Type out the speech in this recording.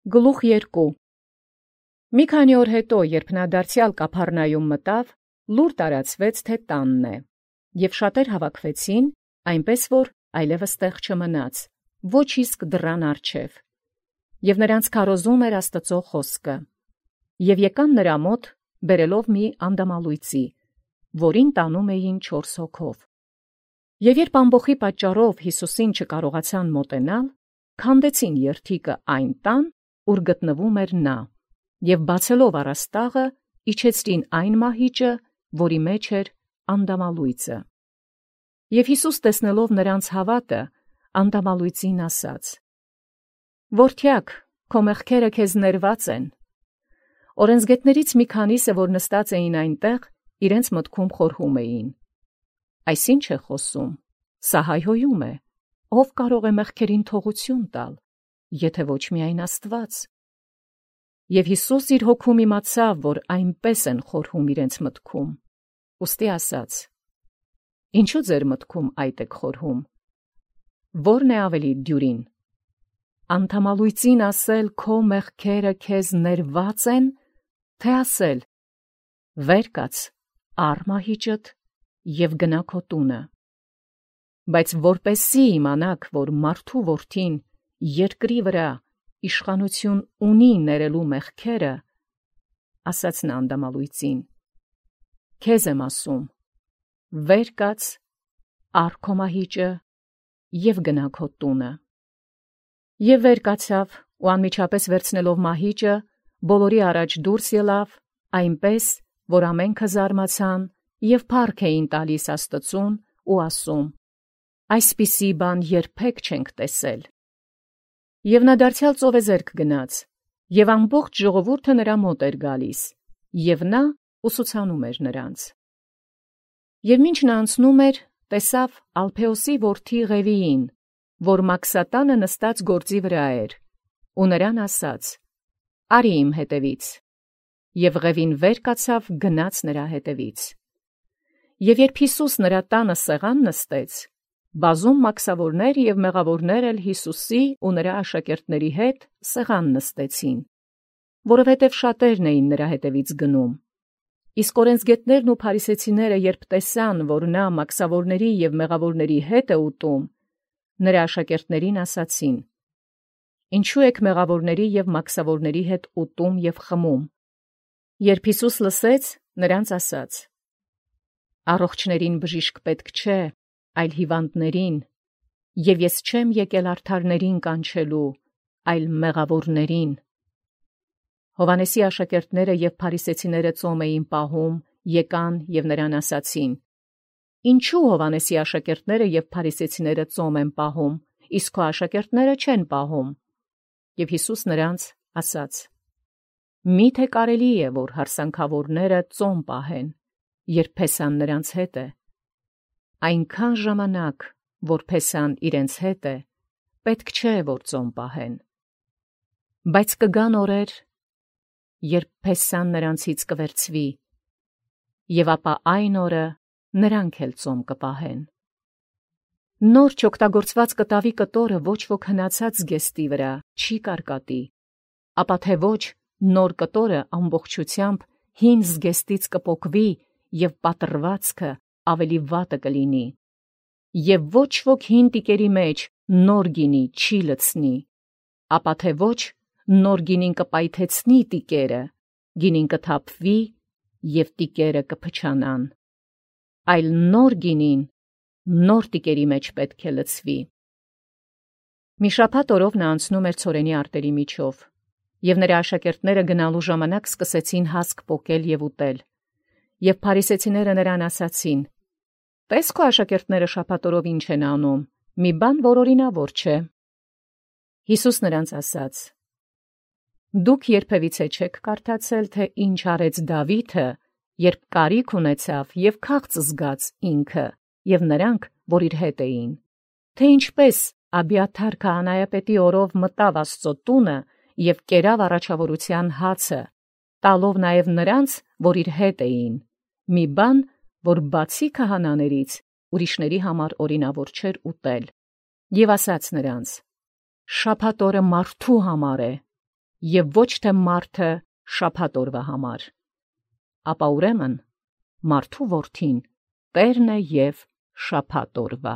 Գլուխ 2 Մի քանի օր հետո, երբ նա դարձյալ Կափառնայում մտավ, լուր տարածվեց, թե տանն է, և շատեր հավաքվեցին, այնպես որ այլևս տեղ չմնաց, ոչ իսկ դռան առջև, և նրանց քարոզում էր Աստծու խոսքը, և եկան նրա մոտ, բերելով մի անդամալույծի, որին տանում էին 4 հոգով. և երբ ամբոխի պատճառով Յիսուսին չկարողացան մոտենալ, քանդեցին երթիկը այն տան, ուր գտնվում էր նա, և բացելով առաստաղը, իջեցրին այն մահիճը, որի մեջ էր անդամալույծը։ Եվ Յիսուս տեսնելով նրանց հավատը, անդամալույծին ասաց. «Որդյակ, քո մեղքերը քեզ ներված են»։ Օրենսգետներից մի քանիսը, որ նստած էին այնտեղ, իրենց մտքում խորհում էին. «Այս ի՞նչ է խոսում, սա հայհոյում է, ով կարող է մեղքերին թողություն տալ, եթե ոչ միայն Աստված»։ Եվ Յիսուս իր հոգում իմացավ, որ այնպես են խորհում իրենց մտքում, ուստի ասաց. «Ինչու ձեր մտքում այդ եք խորհում, ո՞րն է ավելի դյուրին, անդամալույծին ասել քո մեղքերը քեզ ներված են, թե ասել վեր կաց, առ մահիճդ և գնա քո տունը։ Բայց որպեսզի իմանաք, որ մարդու որդին երկրի վրա իշխանություն ունի ներելու մեղքերը, ասաց նա անդամալույծին, քեզ եմ ասում, վեր կաց, առ քո մահիճը և գնա քո տունը։ Եվ վեր կացավ ու անմիջապես վերցնելով մահիճը, բոլորի առաջ դուրս ելավ, այնպես, որ ամենքը զարմացան և փառք էին տալիս Աստծուն ու ասում. այսպիսի բան երբեք չենք տեսել։ Եվ նա դարձյալ ծովեզերք գնաց, և ամբողջ ժողովուրդը նրա մոտ էր գալիս, և նա ուսուցանում էր նրանց։ Եվ մինչ նա անցնում էր, տեսավ Ալփեոսի որդի Ղևիին, որ մաքսատանը նստած գործի վրա էր, ու նրան ասաց. «Արի իմ հետևից»։ Եվ Ղևին վեր կացավ, գնաց նրա հետևից։ Եվ երբ Յիսուս նրա տանը սեղան նստեց, բազում մաքսավորներ և մեղավորներ էլ Յիսուսի ու նրա աշակերտների հետ սեղան նստեցին, որովհետև շատերն էին նրա հետևից գնում։ Իսկ օրենսգետներն ու փարիսեցիները, երբ տեսան, որ նա մաքսավորների և մեղավորների հետ է ուտում, նրա աշակերտներին ասացին. «Ինչու եք մեղավորների և մաքսավորների հետ ուտում և խմում»։ Երբ Յիսուս լսեց, նրանց ասաց. «Առողջներին բժիշկ պետք չէ, այլ հիվանդներին, և ես չեմ եկել արդարներին կանչելու, այլ մեղավորներին»։ Հովհաննեսի աշակերտները և փարիսեցիները ծոմ էին պահում, եկան և նրան ասացին. «Ինչու Հովհաննեսի աշակերտները և փարիսեցիները ծոմ են պահում, իսկ քո աշակերտները չեն պահում»։ Եվ Յիսուս նրանց ասաց. «Մի՞թե կարելի է, որ հարսանքավորները ծոմ պահեն, երբ փեսան նրանց հետ է։ Այնքան ժամանակ, որ փեսան իրենց հետ է, պետք չէ, որ ծոմ պահեն։ Բայց կգան օրեր, երբ փեսան նրանցից կվերցվի, և ապա այն օրը նրանք էլ ծոմ կպահեն։ Նոր չօգտագործված կտավի կտորը ոչ ոք հնացած զգեստի վրա չի կարկատի, ապա թե ոչ նոր կտորը ամբողջությամբ հին զգեստից կպոկվի և պատռվածքը ավելի վատը կլինի։ Եվ ոչ ոք հին տիկերի մեջ նոր գինի չի լցնի, ապա թե ոչ նոր գինին կպայթեցնի տիկերը, գինին կթափվի և տիկերը կփչանան։ Այլ նոր գինին նոր տիկերի մեջ պետք է լցվի։ Մի շաբաթ օրով նա անցնում էր ցորենի արտերի միջով, և նրա աշակերտները գնալու ժամանակ սկսեցին հասկ պոկել և ուտել։ Եվ փարիսեցիները նրան ասացին. «Տես քո աշակերտները շաբաթ օրով ինչ են անում, մի բան որ օրինավոր չէ»։ Յիսուս նրանց ասաց. «Դուք երբևիցե չեք կարդացել, թե ինչ արեց Դավիթը, երբ կարիք ունեցավ և քաղց զգաց ինքը և նրանք, որ իր հետ էին, թե ինչպես Աբիաթար քահանայապետի օրով մտավ Աստծո տունը և կերավ առաջավորության հացը, տալով նաև նրանց, որ իր հետ էին, մի բան, որ բացի քահանաներից ուրիշների համար օրինավոր չէր ուտել, և ասաց նրանց. շաբաթ օրը մարդու համար է, եւ ոչ թե մարդը շաբաթ օրվա համար։ Ապա ուրեմն մարդու որդին Տերն է եւ շաբաթ օրվա։